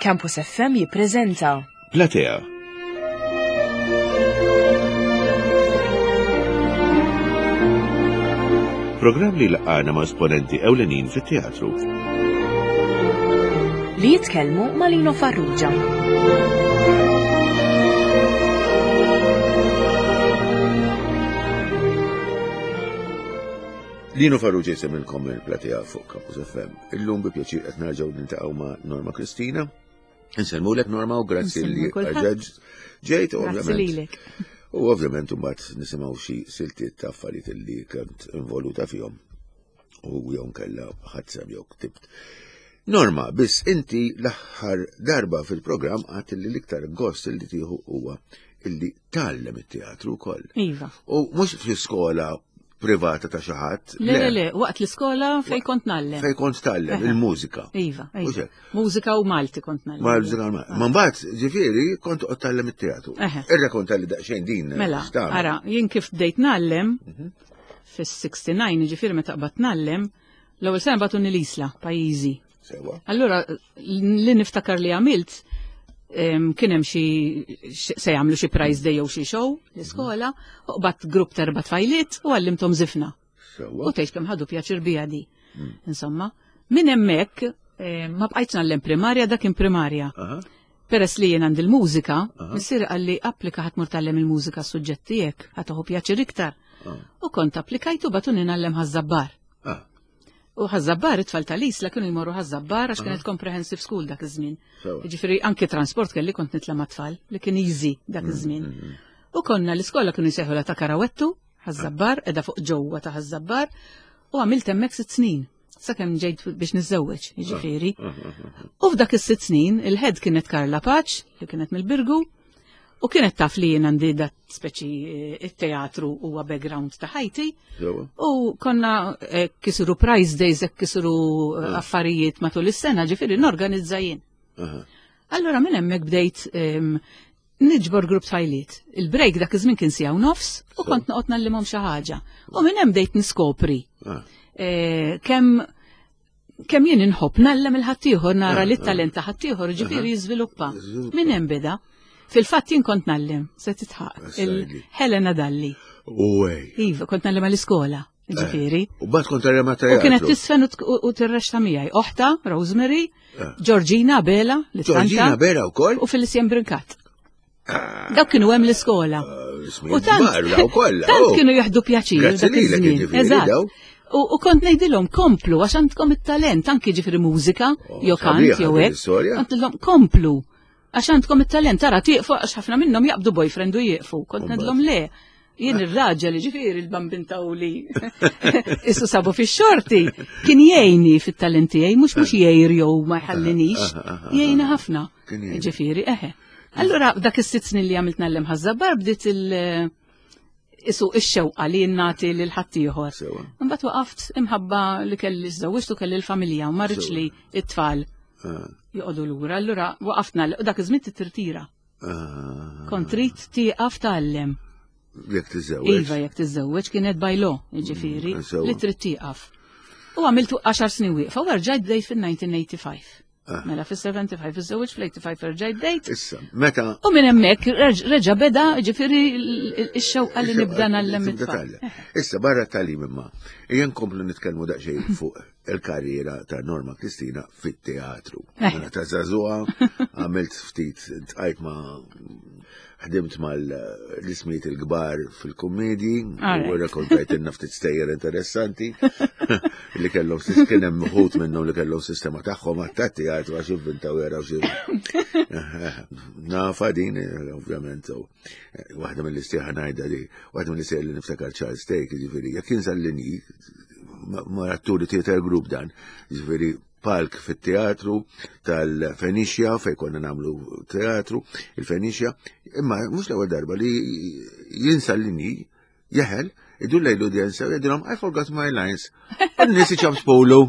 Campus FM jippreżenta Platea. Programm li laqgħana ma' esponenti ewlenin fit-teatru. Li jitkellmu ma' Lino Farrugia. Lino Farrugia jsemilkom il-platea fuq Campus FM. Illum bi pjaċir qed nerġgħu niltaqgħu ma' Norma Kristina. Insellmulek Norma u grazzi li ġejt ovvjament. U ovvjament imbagħad nisimgħu xi siltiet ta' affarijiet li kont involuta fihom u jew nkella ħadd jew ktibt. Norma, biss inti l-aħħar darba fil-programm għat li l-iktar gost li tieħu huwa illi tgħallem it-teatru wkoll. Iva. U mhux fl-iskola privata ta' xi ħadd. Le, le, le, waqt l-iskola fej kont nallem. Fej kont tgħallem il-mużika. Iva, iva. Mużika u Malti kont nallem. Mużika u Malti. Ma mbagħad, ġifieri, kont qed tgħallem it-teatru. Irrakonta li daqsxejn din. Mela, ara, jien kif bdejt nallem mhm. fis-69, ġifieri meta qbad nallem, l-ewwel sena bagħtuni l-Isla, pajjiżi. Sewa. Allura, li niftakar li għamilt, kien hemm xi se jagħmlu xi prize day jew xi show l-iskola, u qbadt grupp ta' erba' tfajliet u għallimthom żifna. Sewa. U tgħid kemm ħadu pjaċir bija di. Hmm. Insomma, minn hemmhekk ma bqajtx nagħllem primarja dak kien primarja. Peress li jien għandi l-mużika, missier qalli applika ħadd mur tgħallem il-mużika s-suġġett tiegħek, ħa tieħu pjaċir iktar. Ah. U kont applikajtu bagħtuni ngħallem Ħaż-Żabbar. Ah. U Ħaż-Żabbar, it-tfal tal-Isla kienu jmorru Ħaż-Żabbar għax kienet comprehensive school dak iż-żmien. Jiġifieri anki transport kelli kont nitla' mat-tfal li kien easy dak mm, iż-żmien. Mm, mm. U konna l-iskola kienu jsejħu ta' Karawettu, Ħaż-Żabbar, qiegħda fuq ġewwa ta' Ħaż-Żabbar, u għamilt hemmhekk sitt snin sakemm ġejt biex niżżewweġ, jiġifieri. Ah, ah, ah, u f'dak is-sitt snin il-head kienet Karla Paċ, li kienet mill-Birgu, U kienet taf li jien għandi dat speċi eh, it-teatru huwa background ta' ħajti. U konna eh, kisiru prize days, eh, kisiru affarijiet matul is-sena, ġifieri norganizza jien. Allora minn hemmhekk bdejt ehm, niġbor grupp tfajliet. Il-break dak iż-żmien kien siegħu nofs u kont noqgħod nallimhom xi ħaġa. U minn hemm bdejt niskopri ah. kemm kemm jien inħobb nallem il-ħaddieħor nara li t-talent ta' ħaddieħor ġifieri jiżviluppa. Minn hemm beda. Fil-fatt jien kont nallem, se titħaq, il-Helena Dalli. Iva, kont nallem għall-iskola, eh, ġifieri. U bat kont tallem għat U kienet tisfen u tirrexta miegħi. Oħta, Rosemary, eh. Georgina Bela, li Georgina Bela wkoll. U Felicien Brincat. Dawk kienu hemm l-iskola. Eh, u tant tant oh. kienu jaħdu pjaċir dak iż-żmien. Eżatt. U kont ngħidilhom komplu għax għandkom it-talent anki ġifieri mużika oh, jew kant jew hekk. Kont komplu għax għandkom it-talent tara tieqfu għax ħafna minnhom jaqbdu boyfriend u jieqfu. Kont ngħidilhom le. Jien ir-raġel, ġifieri l-bambin tawli issu sabu fix-xorti, kien jgħinni fit-talent tiegħi, mhux mhux jgħir jew ma jħallinix, jgħinni ħafna. Ġifieri, eħe. Allura dak is-sitt snin li għamilt nallem ħaż-żabbar bdiet il- isu ix-xewqa li nagħti lil ħaddieħor. Imbagħad waqaft imħabba li kelli żewġtu kelli l-familja u ma rridx li t-tfal ah. joqogħdu lura. Allura waqaft nagħlem u dak iż-żmien titirtira. Ah. Kont trid tieqaf tgħallem. Jekk tiżżewweġ. Iva, jekk tiżżewweġ kienet by law, jiġifieri, mm, li trid tieqaf. U għamiltu 10 snin wieqfa u rġajt bdejt fil-1985. Ah. Mela fis-75 iżżewweġ fl-85 erġajt bdejt. Issa, meta. U minn hemmhekk reġa' beda ġifieri x-xewqa li nibda nagħllem it-tfal. Issa barra tagħlim imma, ejja nkomplu nitkellmu daqsxejn fuq il-karriera ta' Norma Kristina fit-teatru. Eh. Mela ta' żagħżugħa għamilt ftit tqajt ma' ħdimt mal-ismijiet il-kbar fil-kummedji u rrakkontajt ftit stejjer interessanti li kellhom kien hemm uħud minnhom li kellhom sistema tagħhom għat teatru għax ivvintaw jaraw xi. Nafa din ovvjament waħda mill-istieħa ngħidha li waħda mill-istieħa li niftakar Charles Take, jiġifieri jekk jinsa l-linji ma' atturi theater group dan, jiġifieri palk fit-teatru tal-Fenixja fej konna namlu teatru, il-Fenixja, imma mhux l-ewwel darba li jinsa l-linji jeħel, idur lejn l-udjenza u jgħidilhom I forgot my lines. U n-nies iċabspulu.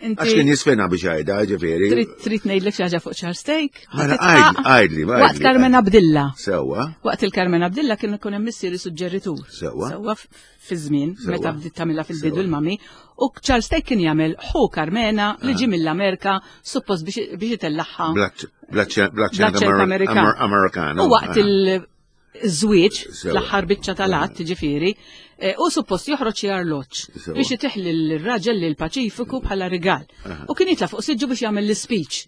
Għax kien jisfena biex għajda, ġifieri. Trid ngħidlek xi ħaġa fuq Charles Take? Mela għajdli, Waqt Carmen Abdilla. Sewwa. Waqt il-Carmen Abdilla kien ikun hemm missieri suġġeritur. Sewwa. Sewwa fi żmien meta bdiet tagħmilha fil-bidu l-mami. U Charles Take kien jagħmel ħu Carmena li ġie mill-Amerika suppost biex itellaħħa. Blaċċent Amerikan. U waqt il- żwieġ l-aħħar biċċa tal-att ġifieri, eh, u suppost joħroġ xi arloġġ biex iteħli l-raġel lil Paċifiku bħala rigal. U kien jitla' fuq siġġu biex jagħmel l-speech.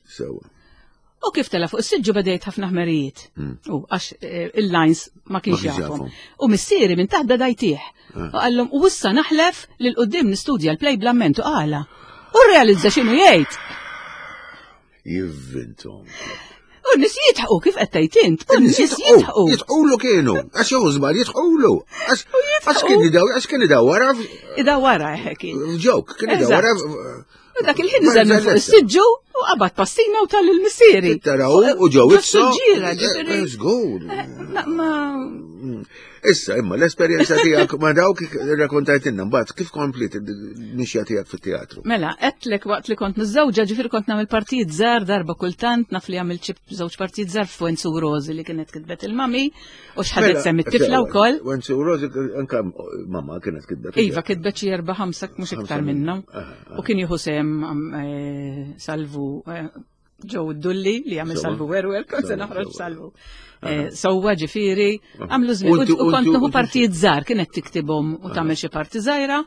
U kif tela fuq is-siġġu beda ħafna ħmerijiet. Hmm. U għax eh, il-lines ma kienx jafhom. U missieri minn taħt beda jtih. Ah. U qallhom u issa naħlef li l-qudiem nistudja l-play bl-amment u qala. U realizza x'inhu jgħid. Jivvintom. U n-nis jitħu kif qed tgħid int, u n-nies jitħu. Jitħulu kienu, għax jew żball jitħulu. Għax kien idaw, għax kien idawwara. Idawwara eh, kien. Ġok, kien idawwara. U dak il-ħin niżel minn fuq is-siġġu u qabad passina u tal il-missieri. Taraw u ġew itsu. Ġira, ġifieri. Żgur. Eh, ma mm. Issa, imma l-esperjenza tiegħek ma dawk irrakkontajtilna mbagħad kif komplit il-mixja tiegħek fit-teatru? Mela, għedtlek waqt li kont miżżewġa ġifieri kont nagħmel partijiet żgħar darba kultant naf li għamilt xi żewġ partijiet żgħar f'Wenzu Rosi li kienet kitbet il-mami u x'ħadet mela, sem it-tifla wkoll. Wenzu Rosi anka mamma kienet kitbet. Iva, kitbet xi erba' ħamsa mhux iktar minnhom. U kien jieħu sem eh, salvu eh, ġew id-dulli li għamil salvu werwer, kont se noħroġ salvu. Eh, sewwa ġifieri, għamlu żmien u kont nieħu partijiet żgħar kienet tiktibhom u tagħmel xi parti żgħira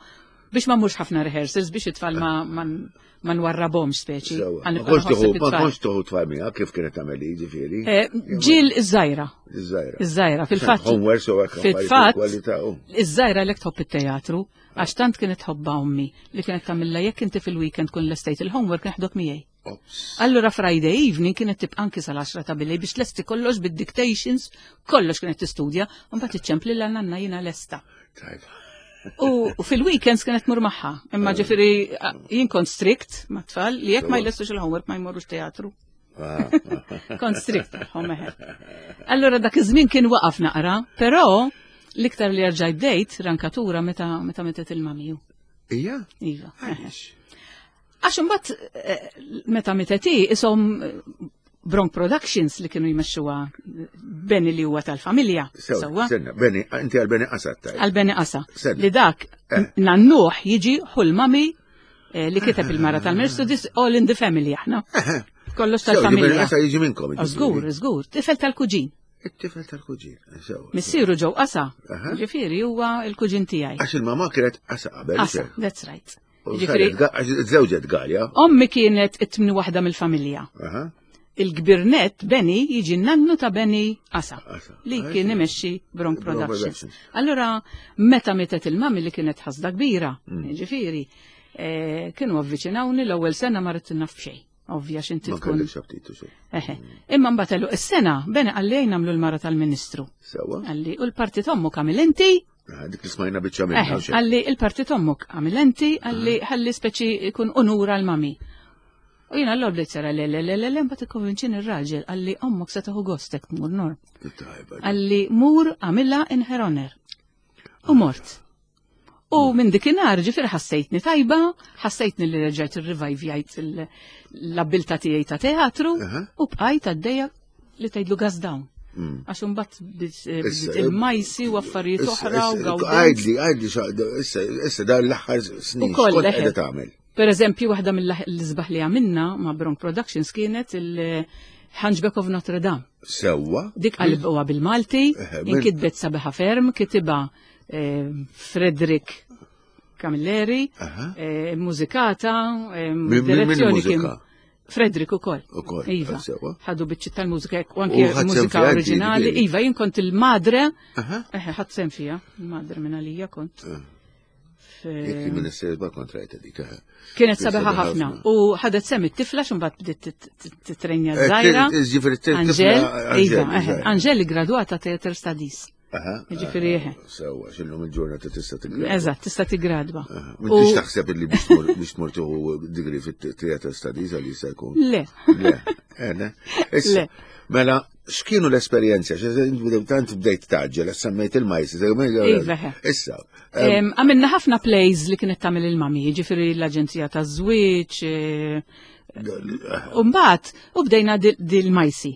biex ma mhux ħafna rehearsals biex it-tfal ma nwarrabhomx speċi. Ma kontx tuħu tfal miegħek kif kienet tagħmel ġifieri. Eh, ġil iż-żgħira. Iż-żgħira. Iż-żgħira fil-fatt. Fil-fatt. Iż-żgħira lek tħobb it-teatru. Għax tant kienet tħobbha ommi li kienet tagħmilha jekk inti fil-weekend tkun lestejt il-homework neħdok miegħi. Allura Friday evening kienet tibqa' anki sal-10 ta' bilej biex lesti kollox bid-dictations, kollox kienet tistudja, u mbagħad iċċempli lil nanna jiena lesta. U fil-weekends kienet mur magħha, imma eh. ġifieri jien kont strict ma' tfal li jekk ma jlestux il-homework ma jmorrux teatru. Ah. Kont strict magħhom eħe. Allura dak iż-żmien kien waqaf naqra, però l-iktar li rġajt bdejt rankatura meta meta metet il-mamiju. Ija? Iva. Għax imbagħad eh, meta mitet hi ishom eh, Bronk Productions li kienu jmexxuha Beni li huwa tal-familja. Sewwa. Beni, inti għal Beni Qasa tajt. Għal Beni Qasa. Li dak eh. nannuh jiġi ħul mami li kiteb il-mara tal-Ministru, this all in the family aħna. Kollox tal-familja. Qasa jiġi minnkom. Żgur, żgur, tifel tal-kuġin. It-tifel tal-kuġin. Missieru ġew Qasa. Ġifieri huwa l-kuġin tiegħi. Għax il-mama kienet Qasa qabel. Qasa, that's right. Ġifieri żewġet Galja. Ommi kienet it-tmni waħda mill-familja. Il-kbirnet Beni jiġi nannu ta' Beni Qasa li kien imexxi Bronk Productions. Allura meta mietet il-mami li kienet ħasda kbira, mm. ġifieri, eh, kienu avviċinawni l-ewwel sena ma rrid naf xejn. Ovvja x'inti tkun. Eħe. Imma mbagħad għallu is-sena Beni qalli ejn nagħmlu l-mara tal-Ministru. Sewwa. Qalli u l-partit ommok għamil inti. Ah, dik li smajna biċċa minna. Qalli il-partit ommok għamil inti, qalli ħalli speċi jkun unura l-mami. U jiena l bdejt sara le le le le le mbagħad ikkonvinċini r-raġel qalli ommok se tieħu gostek tmur norm. Qalli mur għamilha in her honor. U mort. U minn dikinhar ġifier ħassejtni tajba, ħassejtni li reġgħet irrivajvjajt l-abbilta tiegħi ta' teatru u bqajt għaddejja li tgħidlu gas down. Mm. Għax imbagħad eh, il-majsi u affarijiet oħra u gawdenz. Għajdli, għajdli, issa dan l-aħħar snin. Ukoll qiegħda tagħmel. Per eżempju, waħda mill-isbaħ li għamilna ma' Bronk Productions kienet il-Hunchback of Notre Dame. Sewwa. Dik qalbuha bil-Malti, inkitbet sabiħa ferm, kitiba eh, Frederick Camilleri, eh, mużikata, eh, direzzjoni kien Frederick ukoll. Ukoll. Iva. Ħadu biċċi tal-mużika u anke mużika oriġinali. Iva, jien kont il-madre. Ħadd sem fija, il-madre minn għalija kont. Jekk minn is-serba kont rajta dik. Eh. Kienet sabiħa ħafna. U ħadet sem it-tifla x'imbagħad bdiet titrenja eh, żgħira. Anġel, iva, eh, Anġel gradwata Theater Studies. Ġifieri eħe. Sewwa, x'illum il-ġurnata tista' tigradwa. Eżatt, tista' tigradwa. M'intix taħseb li biex tmur tieħu degree fit-Theater Studies għal jista' jkun. Le. Le. Le. Mela, X'kienu l-esperjenzi? Tant bdejt taġġel, semmejt il-majs. Iva. Issa. Għamilna ħafna plays li kienet tagħmel il-mami, ġifieri l-Aġenzija taż-Żwieġ. Eh, Umbagħad u bdejna dil-majsi.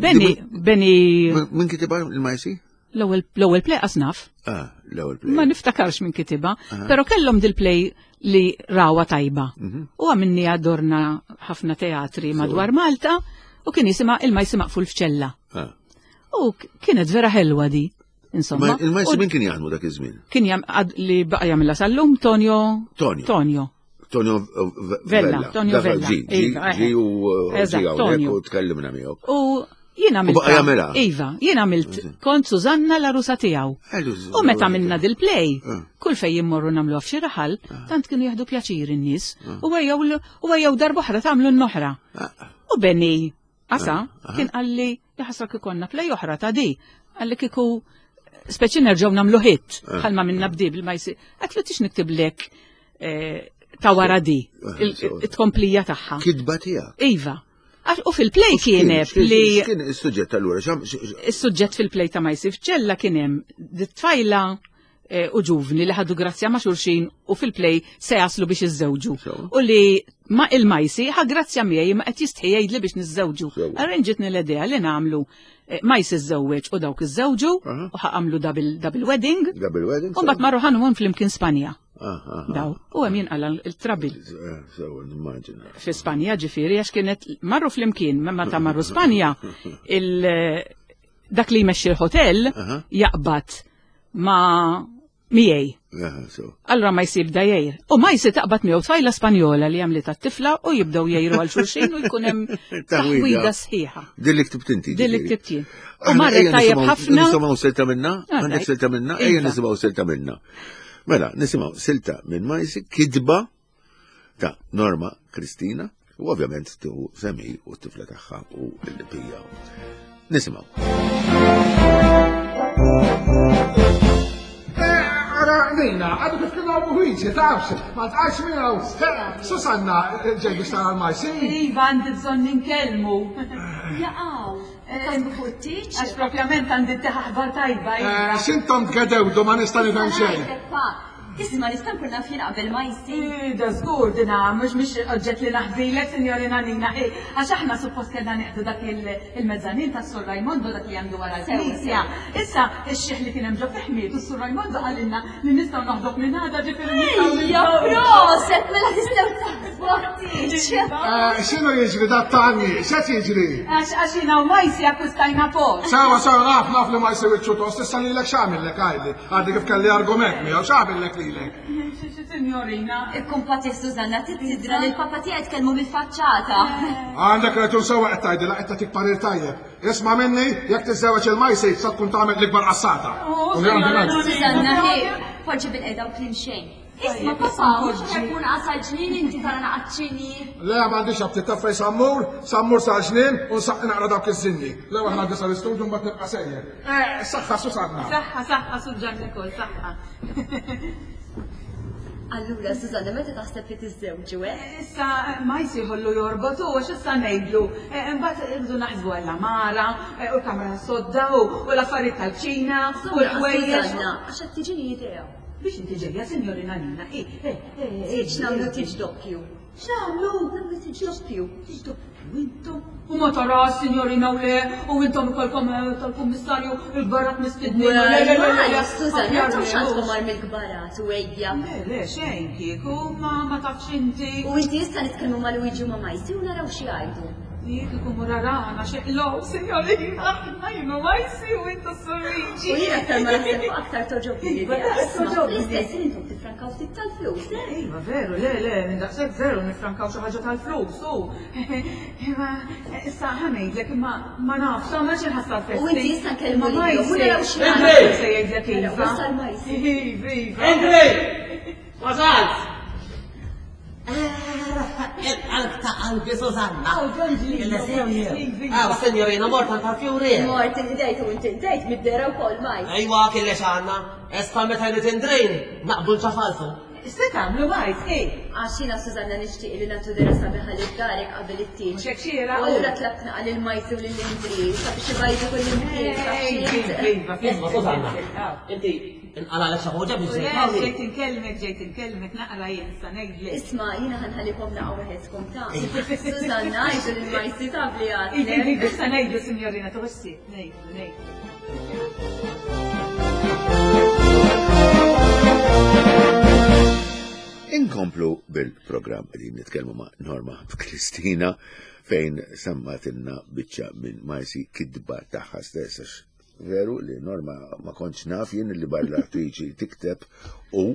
Beni, Beni. Min kitiba il-majsi? L-ewwel play qas naf. Ah, l-ewwel play. Ma niftakarx minn kitiba, però kellhom dil-play li rawa tajba. Mhm. U għamilni għadorna ħafna teatri madwar Malta u kien jisima il-majsi maqful f'ċella. Ah. U kienet vera ħelwa di. Insomma. Il-majsi min kien jaħdmu dak iż-żmien? Kien jam li baqa' jagħmilha sal-lum Tonio. Tonio. Tonio. Tonio Vella. Tonio Vella. Ġi, ġi u ġi hawnhekk u tkellimna miegħu. U jien għamilt. Baqa' jagħmilha. Iva, jien għamilt kont Susanna la rusa tiegħu. U meta għamilna dil-play, eh. kull fejn jimmorru nagħmlu f'xi raħal, eh. tant kienu jieħdu pjaċir in-nies eh. u ejjew darb'oħra tagħmlu n-noħra. U Benny Asa kien qalli jaħasra kikonna play oħra ta' di. Qalli kiku speċi nerġgħu nagħmlu hit bħalma minna bdi bil ma jsir. Għatlu tix niktiblek eh, ta' wara di, it-tkomplija tagħha. Kitba tiegħek. Iva. U fil-play kien li. Kien is-suġġett allura? Is-suġġett fil-play ta' ma jsir ċella kien hemm tfajla Eh, u ġuvni li ħadu grazzja ma' xulxin u fil-play se jaslu biex iżżewġu. U li ma' il-majsi ħa grazzja miegħi ma qed jistħi jgħidli biex niżżewġu. Arranġitni l-idea li nagħmlu eh, majsi żżewweġ u dawk iżżewġu u ħa għamlu double wedding. Double wedding. U mbagħad marru ħanuhom flimkien Spanja. Daw, u hemm jinqala l-trabil. Eh, Fi Spanja ġifieri għax kienet marru flimkien, meta marru Spanja il dak li jmexxi l-hotel jaqbad ma miegħi. Allura ma jsib da jgħir. U ma jsib taqbad miegħu tfajla Spanjola li għamlet tifla u jibdew jgħiru għal xulxin u jkun hemm taħwida sħiħa. Din li ktibt inti. Din li ktibt jien. U marret tajjeb ħafna. Nisimgħu silta minna? Għandek silta minna? Ejja iva. nisimgħu silta minna. Mela, nisimgħu silta minn Majsi kitba ta' Norma Kristina u ovvjament tieħu semi u t-tifla tagħha u l-pija. Nisimgħu. Ara, Nina, għadu kif kienu għabu ħiġi, tafx, ma tqax miegħu. Susanna, ġej biex tara l-majsi. Iva, għandi bżonn ninkellmu. Jaqaw, tasbu fuq it-tieġ? Għax propjament għandi aħbar tajba. Iva. X'intom tgedewdu ma nista' nifhem xejn. Isma' nista' nkun naf jien qabel ma jsir. Ih, da żgur dina mhux mhix oġġett li naħbilek, Sinjorina Nina, hi, għax aħna suppost kellna nieħdu dak il-mezzanin tas-Sur Raimondo dak li għandu wara l-knisja. Issa, ix-xiħ li kien hemm ġo fih miet u s-Sur Raimondo qalilna li nistgħu noħduh minn għada ġifieri nistgħu Ejja, proset, mela tistgħu taħsbu għat-tieġ. X'inhu jiġri dat-tani? X'qed jiġri? Għax għax jiena u Majsi akkwistajna post. Sewa, sewa, naf, naf li Majsi wiċċu tost, issa lilek x'għamillek għidli. Għadni kif kelli argument miegħu, x'għamillek lilek? Signorina. Ikkumpati Susanna, tidra li l-papa tiegħi tkellmu mill-faċċata. Għandek raġun sewa qed tgħidilha qed tagħtik parir tajjeb. Isma' minni, jekk tiżżewweġ il-Majsi sa tkun tagħmel l-ikbar qassata. Oh, Susanna, poġġi bil-qeda u kliem xejn. Isma' papa, mhux tkun qasal ġnien inti tara naqaċċini. Le m'għandix aptit taf fejn sammur, sammur sal ġnien u nsaqq naqra dawk iż-żinji. L-ewwel ngħaddi sal-istudju mbagħad nibqa' sejjer. Eh, saħħa Susanna. Saħħa, saħħa Suġġan Nikol, saħħa. Allura, Susanna, meta taħseb li tiżżewġu, eh? Issa ma jsieħollu jorbotu, għax issa ngħidlu, eh, imbagħad irridu naħsbu għall-amara, eh, u l-kamra sodda, u l-affarijiet tal-ċina, u l-ħwejjeġ. Susanna, għax qed tiġini idea. Biex inti ġejja, signorina Nina, eh, eh, eh. Tiġ nagħmlu tiġ doppju. X'nagħmlu? Nagħmlu tiġ doppju. Tiġ doppju. U intom? U ma tarax, signorina, u le, u intom ikolkom eh, tal-kummissarju il-gbarat mistednin. Le, le, le, le, le, Susanna, intom x'għandkom għar mill-gbarat u ejja. Le, le, xejn kieku, ma ma tafx inti. U inti issa nitkellmu ma' Luigi u ma' Majsi u naraw xi jgħidu. Jek ikun murarana xeqlow, signorina, aħna jienu Majsi u intu s-Luigi. U jien aktar ma naħseb fuq aktar toġobni Iva, l-idea. daqs Isma' toġobni. fl-istess ħin intom tifrankaw ftit tal-flus, eh? Iva, veru, le, le, minn daqshekk veru nifrankaw xi ħaġa tal-flus, u. Imma issa ħa ngħidlek imma ma nafx, ma xi ħassa l-festi. U inti issa nkellmu Ma lilhom, u naraw xi Majsi, jgħidu. se jgħidlek Naraw, iva. wasal Majsi. Iva, iva. Andrej! Wasalt! Il-qalb ta' qalbi Susanna. Aw, Ġonġli. Aw, signorina, mort għal tal-fjuri. Mort inħdejt u inti ndejt mid-dera wkoll Majsi. Ejwa, kien li xanna. Esta meta jrid indrejn, naqbdu nċafalfu. Se tagħmlu bajt, ej. Għax jiena Susanna nixtieq li nagħtu dera sabiħa lil darek qabel it-tieġ. Mhux hekk xieraq. U allura tlabt naqa' lil Majsi u lil Indri sabiex ibajdu kull imkien. Iva, Isma' Susanna, inti inqalalek xi ħaġa biex ġejt hawn. Ġejt inkellmek, ġejt inkellmek, naqra jien sa ngħidlek. Isma' jiena ħa nħallikom naqa' waħedkom ta'. Susanna, għidu lil Majsi taf li Iva, għadlek. iva, sa ngħidlu sinjorina tuħossi, ngħidlu, ngħidlu. Inkomplu bil-programm qegħdin nitkellmu ma' Norma Kristina fejn semmatilna biċċa minn Majsi kidba tagħha stess għax veru li Norma ma kontx naf jien li barra l-attriċi tikteb u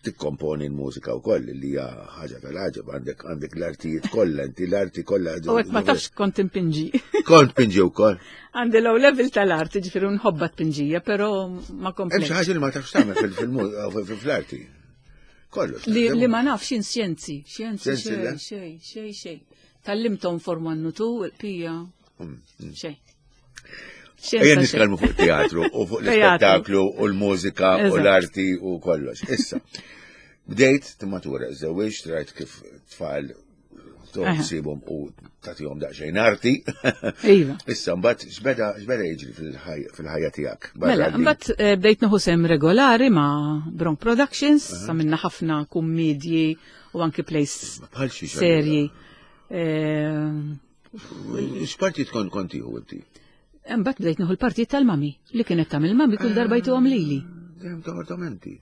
tikkomponi l-mużika wkoll li hija ħaġa tal-għaġeb għandek għandek l-artijiet kollha inti l-arti kollha. U hekk ma tafx kont impinġi. Kont pinġi wkoll. Għandi low level tal-arti, ġifieri nħobba tpinġija, però ma Hemm xi komplejtx. ħaġa li ma tafx tagħmel fil-arti. Kollox. Li, li ma nafx jien xjenzi, xjenzi Xjenzi, le? xej, xej, xej, xej. Tallimtom form 1 u 2, il-pija, xej. Ejja Xjenza xej. nitkellmu fuq teatru u fuq Teatru. l-ispettaklu u l-mużika u Eżatt. l-arti u kollox. Issa, bdejt timmatura, żewġt, rajt kif tfal toħsibhom u tagħtihom daqsxejn arti. Iva. Issa, mbagħad x'beda x'beda jiġri fil-ħajja tiegħek? Barra Mela, li- mbagħad eh, bdejt nieħu sem regolari ma' Bronk Productions, għamilna ħafna kummedji u anki plays Bħal xi xi serji. Eh, X'parti tkun kontiħu inti? Mbagħad bdejt nieħu l-partijiet tal-mami li kienet tagħmel mami kull darba jtuhom lili. Dejjem toħortomenti.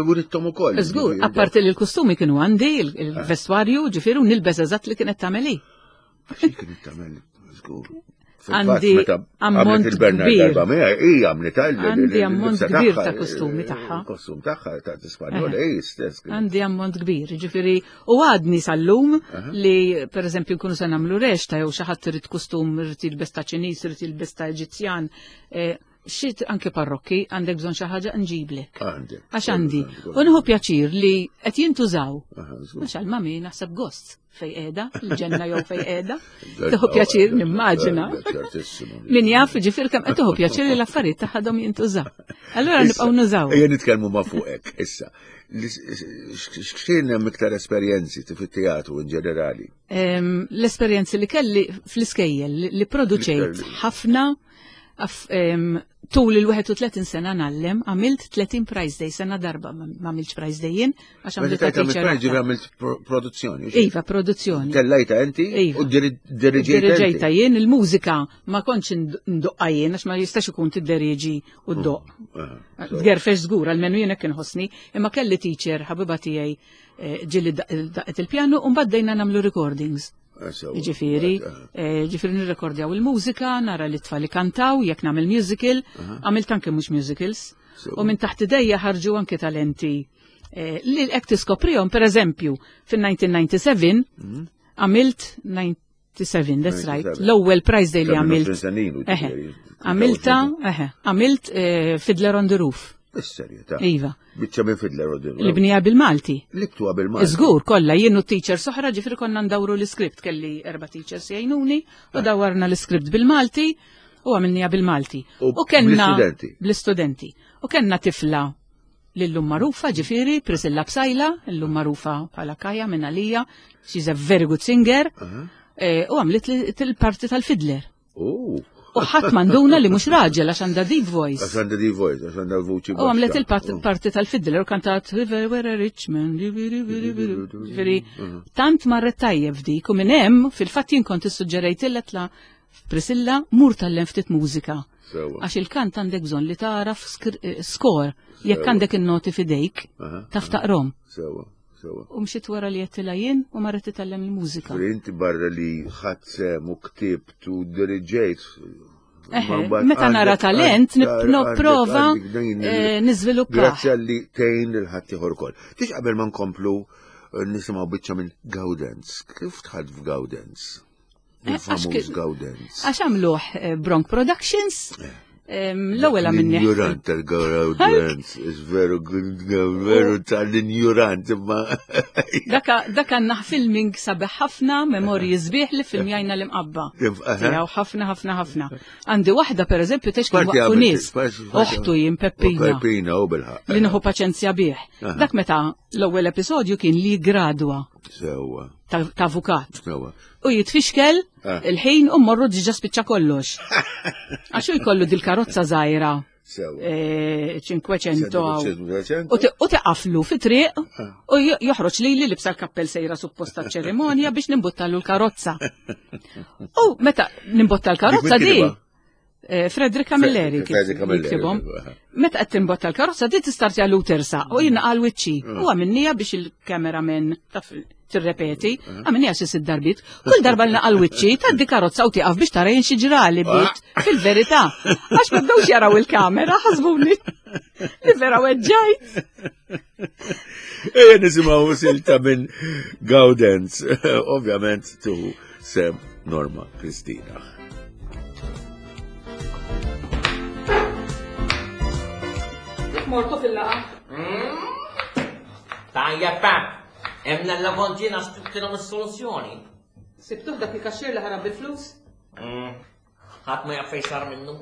Urittom ukoll. Żgur, apparti li l-kostumi kienu għandi, il-vestwarju, ġifieri u nilbes eżatt li kienet tagħmel hi. Xi kienet tagħmel żgur. Għandi ammont il-Bernard kbir. darba miegħi, hija għamlet Għandi ammont kbir ta' kostumi tagħha. Kostum tagħha ta' Spanjol, Eħe. ej stess. kienet. Għandi ammont kbir, ġifieri u għadni sal-lum li per eżempju nkunu se nagħmlu rexta jew xi ħadd irid kustum irid jilbes ta' Ċiniż, irid jilbes ta' Eġizzjan, eh, xi anke parrokki għandek bżonn xi ħaġa nġiblek. Għandek. Għax għandi. U nieħu pjaċir li qed jintużaw. Aha, żgur. Għax għal-mami naħseb gost fej qiegħda, il-ġenna jew fej qiegħda. Tieħu pjaċir nimmaġina. Ċertissimo. Min jaf ġifier kemm qed tieħu pjaċir li l-affarijiet tagħhom jintużaw. Allura nibqgħu nużaw. Ejja nitkellmu ma' fuqek, issa. X'kien hemm iktar esperjenzi fit-teatru in ġenerali? L-esperjenzi li kelli fl-iskejjel li- li produċejt Fl-iskejjel. ħafna tul il-31 sena nallem, għamilt 30 prize day, sena darba ma għamilx prize day jien, għax Meta għamilt tajt għamilt teacher prize oħra. għamilt produzzjoni. Iva, produzzjoni. Tellajta inti Iva. u diriġejta Diriġejta inti. jien il-mużika ma kontx ndoqqa jien għax ma jistax ikun tidderieġi u ddoq. Aha, Tgerfex żgur, almenu jien hekk inħossni, imma kelli teacher ħabiba tiegħi eh, ġieli daqqet il-pjanu u mbagħad dejna nagħmlu recordings. sewa. Ġifieri, eh, ġifieri nirrekordjaw il-mużika, nara li tfal kantaw, jekk nagħmel musical, għamilt anke mhux musicals. Sewa. U minn taħt idejja ħarġu anke talenti eh, li hekk tiskoprihom, pereżempju, fin-1997 għamilt 97, that's right, 97. l-ewwel prize day li Kemm għamilt. 20 sena ilu, Eħe, ġifieri, Għamilta, eħe, għamilt eh, Fiddler on the Roof. Is-serjetà. Iva. Biċċa minn Fiddler on the Roof. Li bnija bil-Malti. Li btuha bil-Malti. Żgur, kollha jien u teacher soħra ġifieri konna ndawru l-iskript kelli erba' teachers jgħinuni u dawwarna l-iskript bil-Malti u għamilniha bil-Malti. U kellna bl-istudenti? Bl-istudenti. U kellna tifla lillum magħrufa ġifieri Priscilla Psajla, illum magħrufa bħala Kaja minn għalija, she's a very good singer, eh, u għamlet il-parti tal-fiddler. Oh. U ħadd manduna li mhux raġel għax għandha deep voice. Għax għandha deep voice, għax għandha l-vuċi. U għamlet baxxa. il-parti tal-fiddler u kantat River where a rich man. Ġifieri, tant marret tajjeb dik u minn hemm fil-fatt jien kont issuġġerejt tla Priscilla mur tallem ftit mużika. Sewa. Għax il-kant għandek bżonn li tagħraf eh, skor jekk Sewa. għandek in-noti fidejk Aha, taf taqrom. Sewa, sewa. U mxiet wara li għedtilha jien u marret titgħallem il-mużika. Ġifieri inti barra li ħadd sem u ktibt u diriġejt. Eħe, ma mbagħad meta nara għandek- talent, għandek- nipprova, għandek din il- eh, niżviluppa. Grazzi għalli tgħin lil ħadd ieħor ukoll. Tix qabel ma nkomplu eh, nisimgħu biċċa minn Gaudens. Kif dħalt f'Gaudens? Eh, għax Il-famuż ki- Gaudens. Għax għamluh eh, Bronk Productions, L-ewwel għamilni. L-injurant tal-Gaudenz, veru, veru tal-injurant, imma. Dak għandna filming sabiħ ħafna, memorji sbieħ li filmjajna l-imqabba. Tiegħu ħafna ħafna ħafna. Għandi waħda pereżempju tex kien waqfu nies. Oħtu jien Peppina. Peppina u bilħaq. Li nieħu paċenzja bih. Dak meta l-ewwel episodju kien li gradwa. Sewwa. Ta' avukat. Sewwa. U jitfixkel ah. il-ħin u morru diġa spiċċa kollox. Għax jkollu dil-karozza żgħira. 500 eh, u tiqaflu fi triq ah. u joħroġ li li libsa l-kappell sejra supposta ċerimonja biex nimbuttalu l-karozza. U meta nimbotta l-karozza di, Eh, Frederick Camilleri jiktibhom. Meta qed timbotta l-karozza di tistartja l tersa u jien għal wiċċi. Ah. U għamilnija biex il-cameraman taf tirrepeti, ah. għamilnija xi sitt darbit. Kull darba li naqal wiċċi tgħaddi karozza u tieqaf biex tara jien xi ġrali bit ah. fil-verità. Għax ma bdewx jaraw il-kamera ħasbuni li vera weġġajt. Ejja nisimgħu silta minn Gaudenz, ovvjament tuħu sem Norma Kristina. Mortu fil-laqa. Hmm? Tajja pa, emna l-lavontina sibtilhom is-soluzzjoni. Sibtuh dak il-kaxxir li ħarab bil-flus? Hmm. Ħadd ma jaf fejn sar minnu.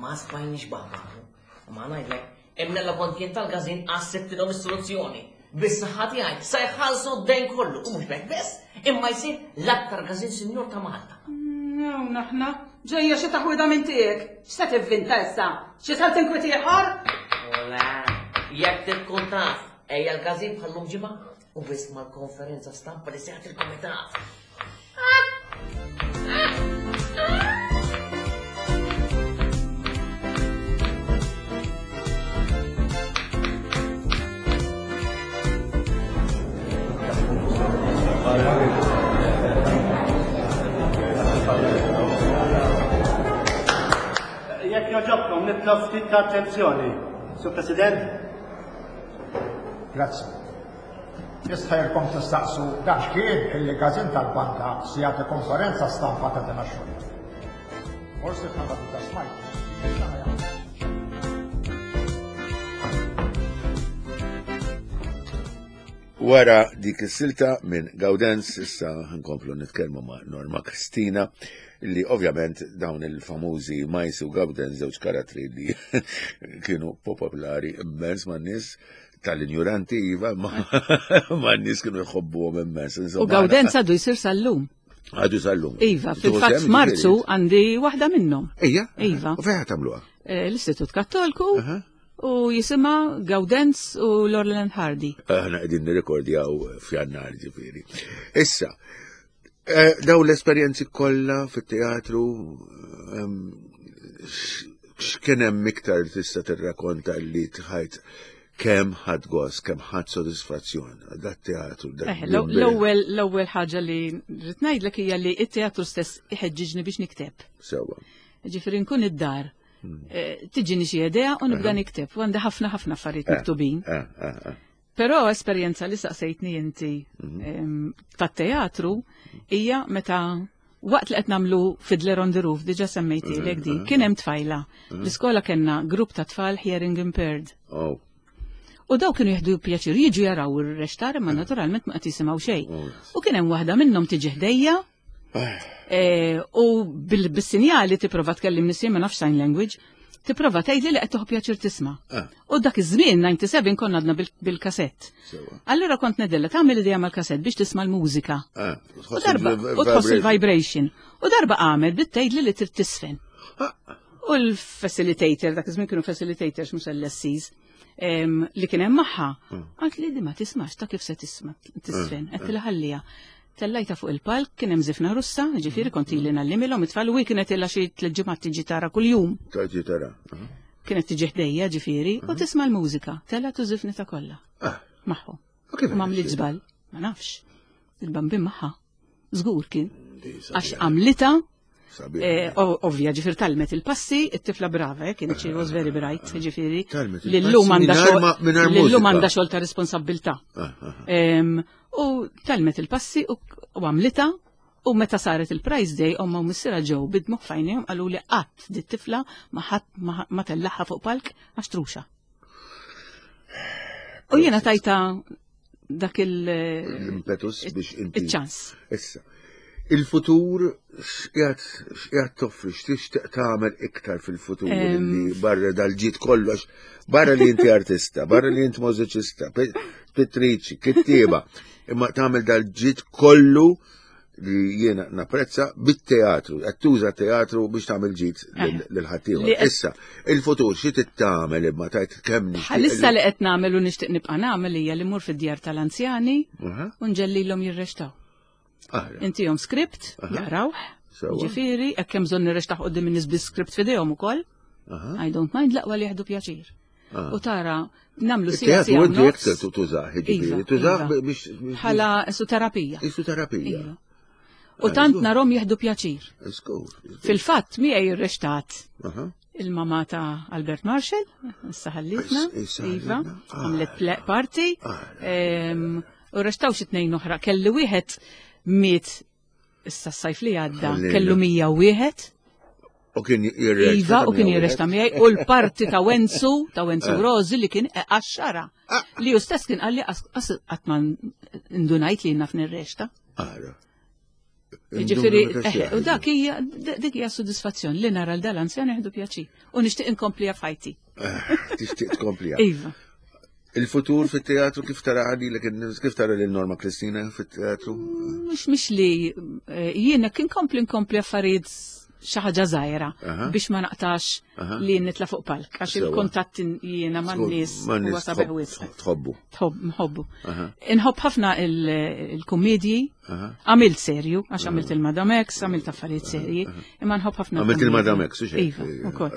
Ma smajniex baħbaħu. Ma ngħidlek, imna la kien tal-gazin għas-sibtilhom is-soluzzjoni. Bis-saħħa tiegħi sa jħallsu d-dejn kollu u mhux b'hekk biss, imma jsir l-aktar gazin sinjur ta' Malta. No, naħna, ġejja xi taħwida minn tiegħek. X'se tivvinta issa? Xi sal tinkwit ieħor? Ola, jekk tkun taf, ejja l-gazin bħallum ġimgħa u biss mal-konferenza stampa li seħħet il-komitat. Jekk joġobkom nitlob ftit ta' attenzjoni. Sur President. Grazzi. Nistħajrkom tistaqsu dan x'kien illi każin tal-banda se jagħti konferenza stampa ta' din għax-xogħol. Forsi bħala diġà smajtu. Wara dik is-silta minn Gaudenz issa nkomplu nitkellmu ma' Norma Kristina li ovvjament dawn il-famużi Majs u Gaudenz żewġ karattri li kienu popolari immens man nies tal-injuranti iva, ma n-nies kienu jħobbuhom immens. U Gawdenz għadu jsir sal-lum. Għadu sal-lum. Iva, fil-fatt f'Marzu għandi waħda minnhom. Ija? Iva. U fejn tagħmluha? Eh, L-Istitut Kattolku u jisimha Gawdenz u Laurel Hardy. Aħna qegħdin nirrekordjaw f'Jannar ġifieri. Issa, eh, daw l-esperjenzi kollha fit-teatru ehm, x'kien hemm iktar li tista' tirrakonta li tħajt kemm ħadd gost, kemm ħadd sodisfazzjon dat teatru. Eh, l-ewwel l-ewwel ħaġa li rrid ngħidlek hija li t-teatru stess iħeġġiġni biex nikteb. Sewwa. Ġifieri nkun id-dar. Hmm. Eh, tiġini xi idea u nibda nikteb. U għandi ħafna ħafna affarijiet eh, miktubin. Però esperjenza li saqsejtni inti mhm. tat-teatru hija meta waqt li qed nagħmlu Fiddler on the Roof diġà semmejtilek di, mhm. kien hemm tfajla. Mhm. L-iskola kellna grupp ta' tfal hearing impaired. Oh. U daw kienu jieħdu pjaċir jiġu jaraw ir-rextar imma naturalment ma qed jisimgħu xejn. Oh. U kien hemm waħda minnhom tiġi ħdejja Eh, u bil-sinjali tipprova tkellim nisim ma nafx sign language, tipprova tgħidli li qed toħ pjaċir tisma'. Ah. U dak iż-żmien 97 konna għadna bil-kasett. Allura kont nedella tagħmel idea mal-kasett biex tisma' l-mużika. Ah, u darba u tħoss il-vibration. U darba għamel bdiet tgħidli li trid tisfen. Ah. U l-facilitator, dak iż-żmien kienu facilitators mhux LSCs li kien hemm magħha, hmm. għalt li di ma tismax ta' kif se tisma' tisfen, hmm. qed ħallija. Tellajta fuq il-palk, kien hemm żifna Russa, ġifieri kont ili nallimilhom it-tfal u hi kienet ilha xi tliet ġimgħat tiġi tara kuljum. Tiġi tara. Kienet tiġi ħdejja ġifieri u tisma' l-mużika, telgħet u żifnitha kollha. Ah. Magħhom. Ma għamlitx żball, ma nafx. Il-bambin magħha. Żgur kien. Għax għamlitha Eh, ovvja, ġifir talmet il-passi, it-tifla brava, eh, kienet she was very bright, ġifiri. Lillum għanda xogħol ta' responsabilta. Ah, ah, ah. U talmet il-passi u għamlita U meta saret il-prize day, omma u missira ġew bidmu f'għajnejhom qalu li qatt dit tifla ma ħadd ma tellaħħa fuq palk għax truxa. U jiena tajta dak il- L-impetus biex inti. Il-ċans. Issa, il-futur x'qiegħed toffri, x'tixtieq tagħmel iktar fil-futur li barra dal-ġid kollox, barra li inti artista, barra li inti mużiċista, pittriċi, kittieba, imma tagħmel dal-ġid kollu li jiena napprezza bit-teatru, qed tuża teatru biex tagħmel ġid eh. lil ħaddieħor. Issa, il-futur xi tittamel imma tajt kemm nixtieq. Bħalissa li qed nagħmel u nixtieq nibqa' nagħmel hija li mur fid-djar tal-anzjani u nġellilhom jirrextaw. Intihom script, jaqrawh, ġifieri, hekk hemm bżonn nirrextaw qudiem in-nies bi script f'idejhom ukoll. I don't mind laqwa li jieħdu pjaċir. Ah. U tara, namlu sija sija. Inti jek tużaħ, ġifieri, iva, tużaħ iva. biex. Bħala isu terapija. Isu terapija. Iva. U ah, tant narom jieħdu pjaċir. Fil-fatt, miegħi jirrextat il-mama ta' Albert Marshall, issa ħallitna, Iva, ah, għamlet parti, u rextaw xi tnejn oħra, kelli wieħed miet issa s-sajf li għadda kellu 101. U kien jirrexta. Iva, u kien jirrexta miegħi u l-parti ta' Wenzu, ta' Wenzu eh. Rozi li kien għaxxara. Ah. Li ju stess kien għalli qatt ma ndunajt li naf nirrexta. Ara. Ġifieri, eh, u dak hija dik hija sodisfazzjon li nara l dal-anzjan jieħdu pjaċi u nixtieq inkomplija f'ħajti. Eh, tixtieq tkomplija. Iva. Il-futur fit-teatru kif tara għadilek kif tara lil Norma Kristina fit-teatru? Mhux mhux li eh, jiena kien kompli nkompli affarijiet xi ħaġa żgħira biex ma naqtax li nitla' fuq palk għax il-kuntatt jiena man-nies huwa sabiħ wisq. Tħobbu. Tħobb, nħobbu. Inħobb ħafna il-kummedji Għamilt serju, għax għamilt il-Madam X, għamilt affarijiet serji, imma nħobb ħafna. Għamilt il-Madam X, u xejn. Iva, ukoll.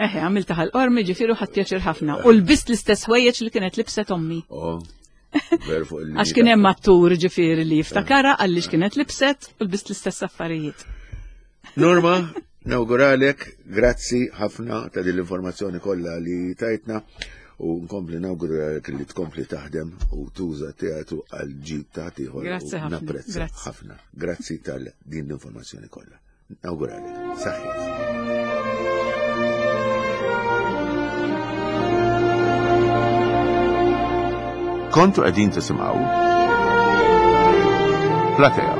Eħe, għamilt taħal qormi ġifieri ħadd pjaċir ħafna. U lbist l-istess ħwejjeġ li kienet libset ommi. Oh, għax kien hemm attur ġifieri li jiftakara għaliex kienet libset u lbist l-istess affarijiet. Norma, nawguralek, grazzi ħafna ta' din l-informazzjoni kollha li tajtna u nkompli nawguralek li tkompli taħdem u tuża teatru għal ġid ta' ieħor. Grazzi ħafna. Napprezza ħafna. Grazzi tal din l-informazzjoni kollha. Nawguralek. Saħħit. Kontu qegħdin tisimgħu Platea.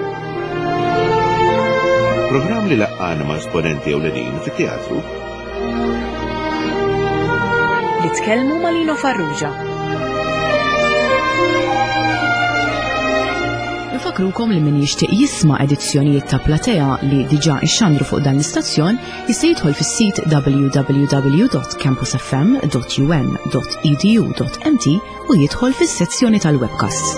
Programm li laqqana ma' esponenti ewlenin fit-teatru. Li tkellmu ma' Lino Farrugia. Nfakrukom li min jixtieq jisma' edizzjonijiet ta' Platea li diġà ixxandru fuq dan l-istazzjon jista' jidħol fis-sit www.campusfm.um.edu.mt u jidħol fis-sezzjoni tal-webcasts.